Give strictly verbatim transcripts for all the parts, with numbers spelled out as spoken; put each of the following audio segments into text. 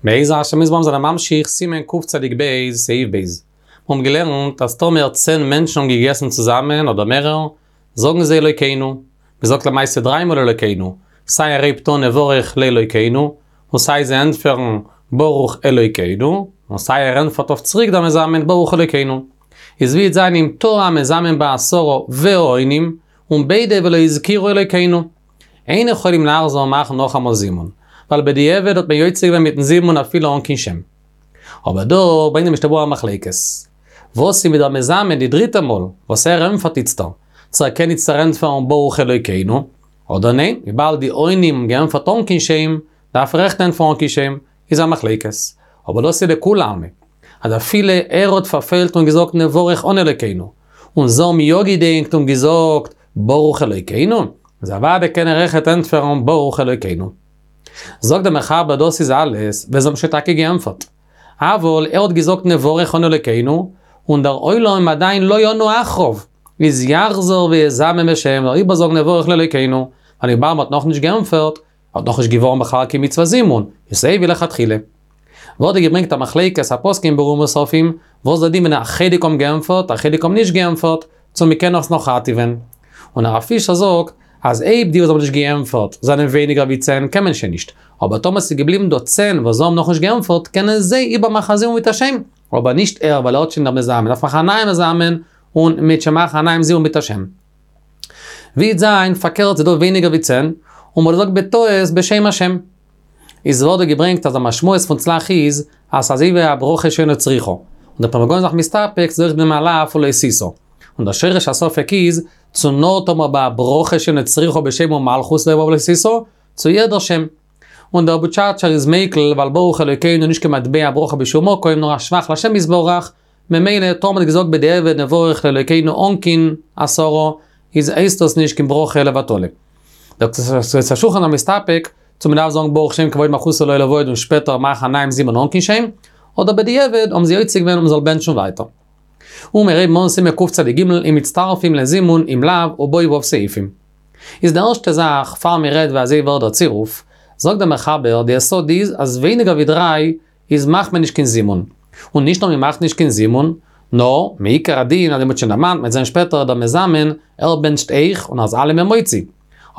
בעזר השם יתברך זענען ממשיך סימן קצ"ב סעיף ב'. מיר האבן געלערנט אז טאמער צען מענטשן האבן געגעסן צוזאמען אדער מערער, זאגן זיי אלוקינו. מען זאגט למעשה דריי מאל אלוקינו, סיי ער הייבט אן נברך לאלוקינו, און סיי זיי ענטפערן ברוך אלוקינו, און סיי ער ענטפערט אויף צוריק דער מזמן ברוך אלוקינו. איז ווי וועט זיין אם טעה המזמן בעשרה והעונים, און ביידע ולא הזכירו אלוקינו. אין יכולים לחזור מאכן נאכאמאל זימון, ווייל בדיעבד האט מען יוצא געווען מיטן זימון אפילו אן קיין שם. אבער דא ברענגט די משנה ברורה א מחלוקת. וואס איז מיט דער מזמן די דריטע מאל, וואס ער ענטפערט איצטער, צו ער קען איצטער ענטפערן ברוך אלוקינו, אדער ניין, וויבאלד די עונים האבן געענטפערט אן קיין שם, דארף ער אויכעט ענטפערן אן קיין שם, איז א מחלוקת. אבער דאס איז לכולי עלמא. אז אפילו ער האט פארפעלט און געזאגט נברך אן אלוקינו, און זיי האבן יא געדענקט און געזאגט ברוך אלוקינו, איז אוודאי קען ער אויכעט ענטפערן ברוך אלוקינו. זאגט דער מחבר דאס איז אלעס ווען זיי האבן שוין טאקע געענטפערט. אבל ער האט געזאגט נברך אן אלוקינו, און דער עולם עדיין לא ענו אחריו, איז יחזור ויזמן בשם, זאל ער איבערזאגן נברך לאלוקינו, ווייל וויבאלד מ'האט נאכנישט געענטפערט, האט נאכנישט געווארן בכלל קיין מצוות זימון, איז סיי ווי לכתחילה. ווערט דא געברענגט א מחלוקת הפוסקים ברוב מוספים, וואס דער דין ווען א חלק האבן געענטפערט, א חלק האבן נישט געענטפערט, צו מ'קען עס נאך ראטעווען. און הרב פישער זאגט, אז אויב די וואס האבן נישט געענטפערט זענען ווייניגער ווי צען קען מען שוין נישט, אבער טאמער ס'איז געבליבן דא צען וואס האבן נאכנישט געענטפערט קענען זיי איבערמאכן א זימון מיט א שם, אבער נישט ער ווייל ער האט שוין דער מזמן, מ'דארף מאכן א נייעם מזמן און מ'וועט שוין מאכן א נייעם זימון מיט א שם. ווי וועט זיין פארקערט ס'איז דא ווייניגער ווי צען, און מ'האט געזאגט בטעות בשם השם. איז ווערט דא געברענגט אז די משמעות פון צל"ח איז אז ס'איז אזוי ווי א ברכה שאינה צריכה, און דער פרי מגדים איז זיך מסתפק ס'איז אויך דעם על אף ולא תשא. און דער שורש הספק איז, צו נאר טאמער ביי א ברכה שאינה צריכה בשם ומלכות לא ולא תשא, צו יעדער שם. און דער בוטשאטשער איז מיקל ווייל ברוך אלוקינו איז נישט קיין מטבע ברכה בשום מקום נאר א שבח לשם יתברך, ממילא טאמער מ'האט געזאגט בדיעבד נברך לאלוקינו אן קיין עשרה, איז הייסט דאס נישט קיין ברכה לבטלה. דער קצות השולחן איז מסתפק צו מ'דארף זאגן ברוך שם כבוד מלכותו לעולם ועד און שפעטער מאכן א נייעם זימון אן קיין שם, אדער בדיעבד האבן זיי יוצא געווען און מ'זאל בענטשן ווייטער. און מיר הייבן אן סימן קצ"ג אם מצטרפים לזימון אם לאו ובו ו' סעיפים. איז די ערשטע זאך פאר מען רעדט ווי אזוי ווערט דער צירוף, זאגט דער מחבר די יסוד איז אז ווייניגער ווי דריי איז מאכט מען נישט קיין זימון. און נישט נאר מען מאכט נישט קיין זימון, נאר, מעיקר הדין אזוי מ'האט שוין דערמאנט, מ'וועט זען שפעטער דער מזמן, ער בענטשט אויך און איז אלעמען מוציא.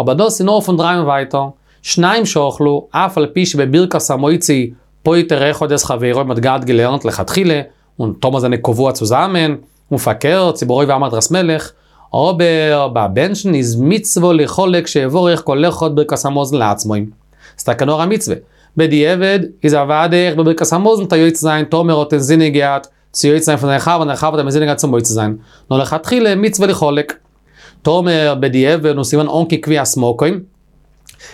אבער דאס איז נאר פון דריי און ווייטער. שניים שאכלו, אף על פי שבברכת המוציא פוטר אחד את חברו, מ'האט געהאט געלערנט לכתחילה, און טאמער זענען קבוע צוזאמען, און פארקערט, ס'איז ברוב עם הדרת מלך, אבער ביי בענטשן איז מצוה ליחלק שיברך כל אחד ברכת המזון לעצמו. ס'איז טאקע נאר א מצוה. בדיעבד איז אוודאי אויך בברכת המזון טאר יוצא זיין טאמער האט אינזינען געהאט צו יוצא זיין פון זיין חבר און דער חבר האט אינזינען געהאט צו מוציא זיין. נאר לכתחילה מצוה ליחלק. טאמער בדיעבד און ס'איז געווען אן קיין קביעת מקום.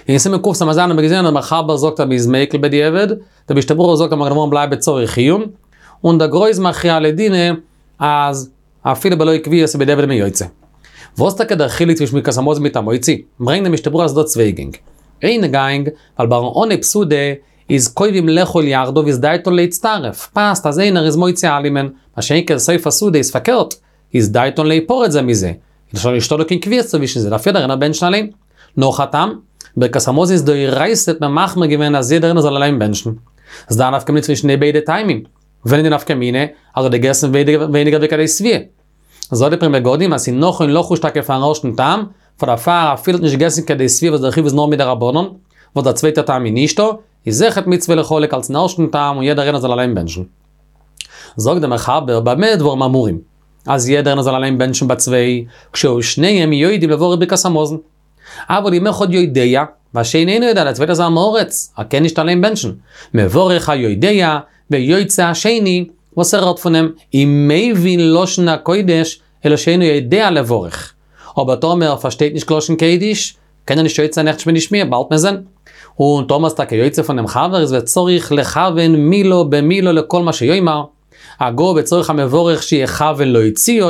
אין סימן קס"ז האבן מיר געזען אז דער מחבר זאגט אז מ'איז מיקל בדיעבד, דער משנה ברורה זאגט אז מגן אברהם בלייבט בצריך עיון, און דער גר"א איז מכריע לדינא אז אפילו בלא קביעות איז בדיעבד מען יוצא. וואס טאקע דער חילוק צווישן ברכת המזון מיט המוציא? ברענגט דער משנה ברורה אז ס'איז דא צוויי גענג. איין גאנג, ווייל ביים אנהייב סעודה איז קובעים לאכול יחדיו איז דעתן להצטרף, פאסט אז איינער איז מוציא אלעמען, מה שאין כן סוף הסעודה איז פארקערט, איז דעתן להיפרד זה מזה, איז שוין נישטא דא קיין קביעות צווישן זיי, דארף יעדער איינער בענטשן אליין. נאך א טעם, ברכת המזון איז דאורייתא האט מען מחמיר געווען אז יעדער איינער זאל אליין בענטשן. ס'איז דא א נפקא מינה צווישן די ביידע טעמים. ווען איז די נפקא מינה? אז ער האט געגעסן ווייניגער ווי כדי שביעה. זאגט די פרי מגדים אז ס'איז נכון לחוש טאקע פארן ערשטן טעם, פאר דערפאר אפילו האט נישט געגעסן כדי שביעה וואס דער חיוב איז נאר מדרבנן, וואס דער צווייטער טעם איז נישטא, איז אויכעט מצוה ליחלק אלס'ן ערשטן טעם און יעדער איינער זאל אליין בענטשן. זאגט דער מחבר במה דברים אמורים, אז יעדער איינער זאל אליין בענטשן ביי צוויי, כשהיו שניהם יודעים לברך ברכת המזון. אבל אם אחד יודע, והשני אינו יודע, דער צווייטער איז עם הארץ, ער קען נישט אליין בענטשן. מברך היודע, ויוצא השני, וואס ער הערט פון אים, אם מבין לשון הקודש, אלא שאינו יודע לברך. אבער טאמער ער פארשטייט נישט לשון קודש, קען ער נישט יוצא זיין אויכעט נישט שמיעה, באלד מיר זען. און טאמער איז טאקע יוצא פונעם חבר איז וצריך לכוון מילה במילה לכל מה שיאמר, הגה וצריך המברך שיכוון להוציאו,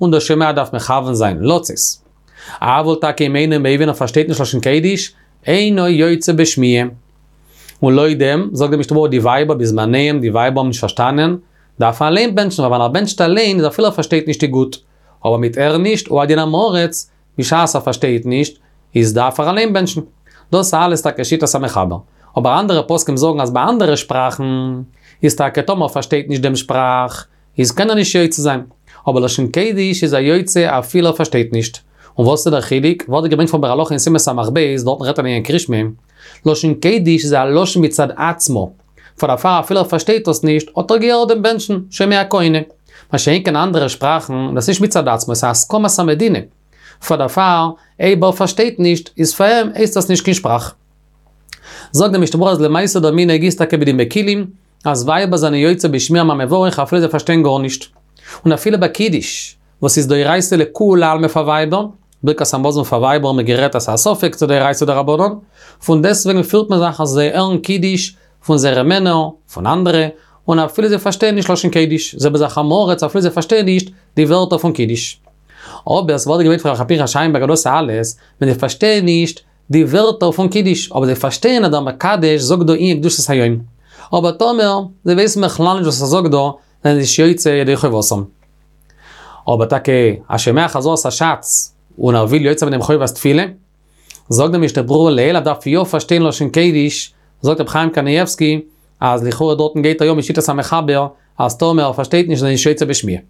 און דער שומע דארף מכוון זיין לצאת. אבל טאקע אם אינו מבין ער פארשטייט נישט לשון קודש, אינו יוצא בשמיעה. און לויט דעם, זאגט די משנה ברורה די ווייבער בזמניהם די ווייבער האבן נישט פארשטאנען, דארף ער אליין בענטשן ווייל ווען ער בענטשט אליין איז אפילו ער פארשטייט נישט איז גוט, אבער מיט הערן נישט הוא הדין עם הארץ, בשעת ער פארשטייט נישט, איז דארף ער אליין בענטשן. דאס אלעס טאקע שיטת המחבר. אבער אנדערע פוסקים זאגן אז ביי אנדערע שפראכן איז טאקע טאמער פארשטייט נישט דעם שפראך, איז קען ער נישט יוצא זיין. אבער לשון קודש איז ער יוצא אפילו ער פארשטייט נישט. און וואס איז דער חילוק? ווערט געברענגט פון ביאור הלכה אין סימן סמך ב', דארטן רעדט ער אין קריאת שמע. לשון קודש איז א לשון מצד עצמו. פאר דערפאר אפילו ער פארשטייט דאס נישט, האט ער געהערט דעם בענטשן, שומע כעונה. מה שאין כן אנדערע שפראכן, דאס איז נישט מצד עצמו, עס איז א הסכמת המדינה. פאר דערפאר, אויב ער פארשטייט נישט, איז פאר אים הייסט דאס נישט קיין שפראך. זאגט דער משנה ברורה אז למעשה דער מנהג איז טאקע ביי די מקילים, אז ווייבער זענען יוצא בשמיעה מהמברך אפילו זיי פארשטיין גארנישט. און אפילו ביי קידוש, וואס איז דאורייתא לכולי עלמא פאר ווייבער, ברכת המזון פאר ווייבער האבן מיר גערעדט אז ס'איז א ספק צו דאורייתא דרבנן, פון דעסטוועגן פירט מען זיך אז זיי הערן קידוש פון זייערע מענער, פון אנדערע, און אפילו זיי פארשטייען נישט לשון קודש, זעלבע זאך עם הארץ אפילו זיי פארשטייען נישט די ווערטער פון קידוש. אבער עס ווערט געברענגט פון ר' פנחס שיינבערגער דאס אלעס, ווען זיי פארשטייען נישט די ווערטער פון קידוש, אבער זיי פארשטייען אז דער מקדש זאגט דא ענין קדושת היום. אבער טאמער זיי ווייסן בכלל נישט וואס ער זאגט דא, זענען זיי נישט יוצא ידי חובתם. אבער טאקע א שומע חזרת הש"ץ און ער וויל יוצא זיין דעם חובת תפילה, זאגט דער משנה ברורה לעיל ער דארף יא פארשטיין לשון קודש, זאגט רבי חיים קנייבסקי אז לכאורה דארטן גייט ער יא משיטת המחבר אז טאמער ער פארשטייט נישט איז ער נישט יוצא בשמיעה.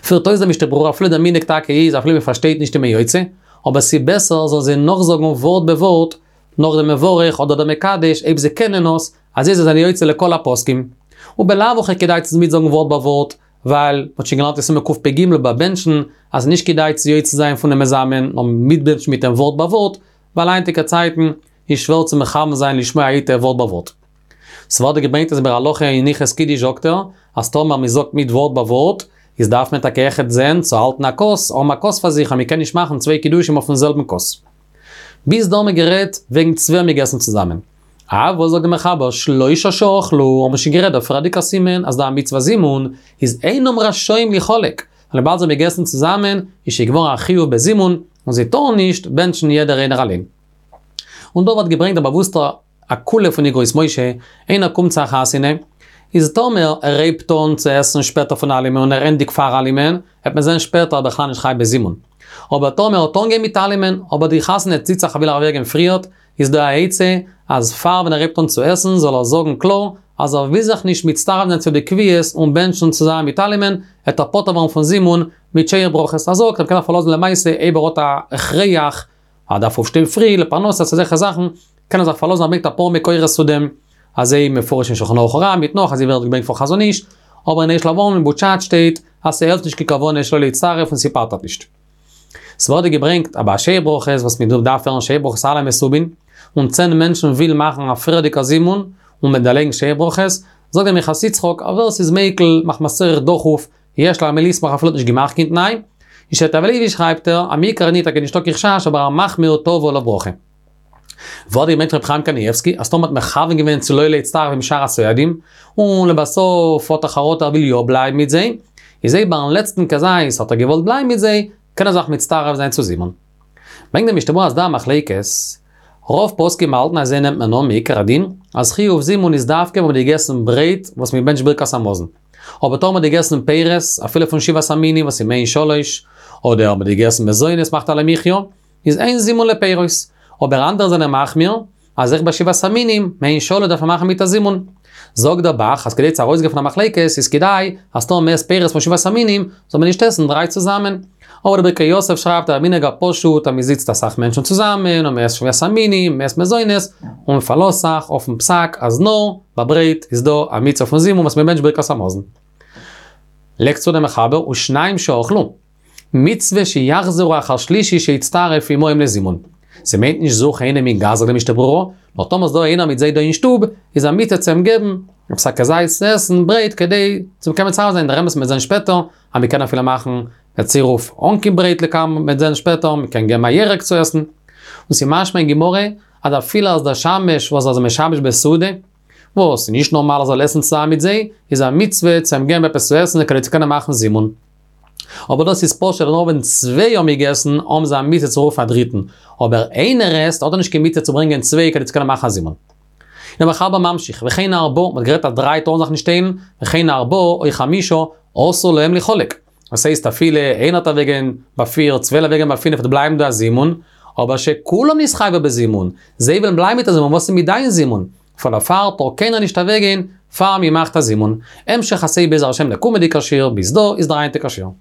פירט אויס דער משנה ברורה אפילו דער מנהג טאקע איז אפילו מען פארשטייט נישט איז מען יוצא, אבער ס'איז בעסער זאלן זיי נאכזאגן ווארט בווארט נאך דעם מברך אדער דער מקדש אויב זיי קענען עס, אזוי זיי זענען יוצא לכל הפוסקים. ובלאו הכי כדאי צו מיטזאגן ווארט ביי ווארט, ווייל מ'האט שוין געלערנט אין סימן קפ"ג ביי בענטשן אז נישט כדאי צו יוצא זיין פונעם מזמן נאר מיטבענטשן מיט אים ווארט ביי ווארט, ווייל היינטיגע צייטן איז שווער צו מכוון זיין לשמוע היטב ווארט ביי ווארט. ס'ווערט געברענגט אז ביאור הלכה אין הלכות קידוש זאגט ער, אז טאמער מ'זאגט מיט ווארט ביי ווארט, איז דארף מען טאקע אויכעט זען צו האלטן א כוס, האבן א כוס פאר זיך אז מ'קען נישט מאכן צוויי קידושים אויפן זעלבן כוס. ביז דא האבן מיר גערעדט וועגן צוויי האבן געגעסן צוזאמען. אבל זאגט דער מחבר שלושה שאכלו, האבן מיר שוין גערעדט דער פריערדיגער סימן אז דא א מצוות זימון איז אינם רשאים ליחלק, ווייל וויבאלד זיי האבן געגעסן צוזאמען איז שוין געווארן א חיוב בזימון און זיי טארן נישט בענטשן יעדער איינער אליין. און דא ווערט געברענגט דער באוואוסטער א קולא פון אגרות משה, איינער קומט צו א חתונה, איז טאמער ער הייבט אן צו עסן שפעטער פון אלעמען און ער ענדיגט פאר אלעמען, וועט מען זען שפעטער אז בכלל נישט חייב בזימון. אבער טאמער האט אנגעהויבן מיט אלעמען, אבער די חתונה ציט זיך ער וויל אוועקגיין פריערט, איז דא א עצה, אז פאר ווען ער הייבט אן צו עסן זאל ער זאגן קלאר אז ער וויל זיך נישט מצטרף זיין צו די קביעות און בענטשן צוזאמען מיט אלעמען, וועט ער פטור ווערן פון זימון מיט שבע ברכות. ער זאגט ער קען זיך פארלאזן למעשה אויב ער האט א הכרח, ער דארף אויפשטיין פרי לפרנסה אזעלכע זאכן, קען ער זיך פארלאזן ער ברענגט אפאר מקורות צו דעם, אזוי מפורש אין שולחן ערוך הרב מיט נאך, אזוי ווערט געברענגט פון חזון איש, אבער אין אשל אברהם אין בוטשאטש שטייט אז ס'העלפט נישט קיין כוונה שלא להצטרף און ס'פטר'ט נישט. ס'ווערט דא געברענגט אז ביי א שבע ברכות וואס מען דארף הערן שבע ברכות אלע מסובין, און צען מענטשן ווילן מאכן א פריערדיגע זימון און מען דערלייגן שבע ברכות, זאגט דער מנחת יצחק אז ווער ס'איז מיקל מחמת צורך דחוף יש על מי לסמוך אפילו האט נישט געמאכט קיין תנאי, אין שבט הלוי שרייבט ער אז מעיקר הדין טאקע נישטא קיין חשש אבער המחמיר תבוא עליו ברכה. ווערט געברענגט ר' חיים קנייבסקי אז טאמער האט מכוון געווען צו לא להצטרף עם שאר הסועדים, און לבסוף האט ער חרטה ער וויל יא בלייבן מיט זיי, איז אויב ביים לעצטן כזית האט ער געוואלט בלייבן מיט זיי, קען ער זיך מצטרף זיין צו זימון. ברענגט דער משנה ברורה אז דא א מחלוקת, רוב פוסקים האלטן אזוי נעמט מען אן מעיקר הדין, אז חיוב זימון איז דווקא ווען מ'האט געגעסן ברייט וואס מ'בענטשט ברכת המזון. אבער טאמער מ'האט געגעסן פירות, אפילו פון שבעת המינים וואס איז מעין שלש, אדער מ'האט געגעסן מזונות מאכט על המחיה, איז אין זימון לפירות. אבער אנדערע זענען מחמיר, אז אויך ביי שבעת המינים, מעין שלש דארף מען מאכן מיט א זימון. זאגט דער ב"ח אז כדי צו ארויסגיין פון א מחלוקת איז כדאי אז טאמער מ'עסט פירות פון שבעת המינים, זאל מען נישט עסן דריי צוזאמען. אבער דער ברכי יוסף שרייבט אז מנהג הפשוט אז מ'זיצט אסאך מענטשן צוזאמען און מ'עסט שבעת המינים, מ'עסט מזונות, און מ'פארלאזט זיך אויפן פסק אז נאר ביי ברייט איז דא א מצוה פון זימון וואס מ'בענטשט ברכת המזון. לייגט צו דער מחבר ושניים שאכלו. מצוה שיחזרו אחר שלישי שיצטרף עמהם לזימון. ס'מיינט נישט זוך איינעם אין גאס זאגט די משנה ברורה, נאר טאמער ס'דא איינער מיט זיי דא אין שטוב, איז א מצוה צו אים געבן עפעס א כזית צו עסן ברייט כדי צו קענען מצרף זיין דער אמת מ'וועט זען שפעטער אז מ'קען אפילו מאכן א צירוף אן קיין ברייט לקמן מ'וועט זען שפעטער מ'קען געבן א ירק צו עסן. און ס'משמע אין גמרא אז אפילו אז דער שמש וואס איז משמש בסעודה, וואס איז נישט נארמאל ער זאל עסן צוזאמען מיט זיי, איז א מצוה צו אים געבן עפעס צו עסן כדי צו קענען מאכן זימון. אבער דאס איז פשוט נאר ווען צוויי האבן געגעסן האבן זיי א מצוה צו רופן א דריטן, אבער איינער עסט האט ער נישט קיין מצוה צו ברענגען צוויי כדי צו קענען מאכן א זימון. דער מחבר ממשיך, וכן ארבעה, מ'האט גערעדט אז דריי טארן זיך נישט טיילן, וכן ארבעה או חמישה, אסור להם ליחלק. דאס הייסט אפילו איינער וועט אוועקגיין ביי פיר, צוויי וועלן אוועקגיין ביי פינף וועט בלייבן דא א זימון, אבער שכולם נתחייבו בזימון, זיי וועלן בלייבן מיט א זימון, וואס איז מיט דיין זימון? פאר דערפאר טאר קיינער נישט אוועקגיין פאר מ'מאכט א זימון. המשך הסעיף בעזר השם דער קומענדיגער שיעור, ביז דא איז דער היינטיגער שיעור.